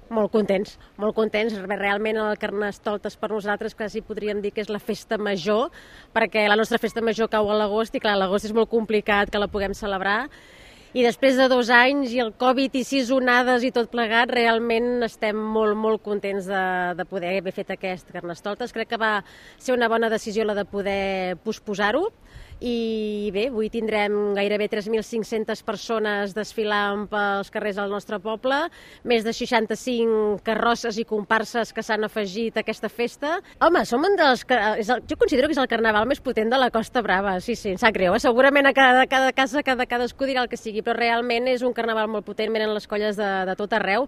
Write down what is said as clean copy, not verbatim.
Molt contents. Realment el Carnestoltes per nosaltres quasi podríem dir que és la festa major, perquè la nostra festa major cau a l'agost i clar, l'agost és molt complicat que la puguem celebrar. I després de 2 anys i el Covid i 6 onades i tot plegat, realment estem molt contents de poder haver fet aquest Carnestoltes. Crec que va ser una bona decisió la de poder posposar-ho. I bé, avui tindrem gairebé 3.500 persones desfilant pels carrers del nostre poble, més de 65 carrosses i comparses que s'han afegit a aquesta festa. Home, som un dels... Jo considero que és el carnaval més potent de la Costa Brava, sí, em sap greu. Segurament a cada casa, cadascú dirà el que sigui, però realment és un carnaval molt potent, venen les colles de tot arreu.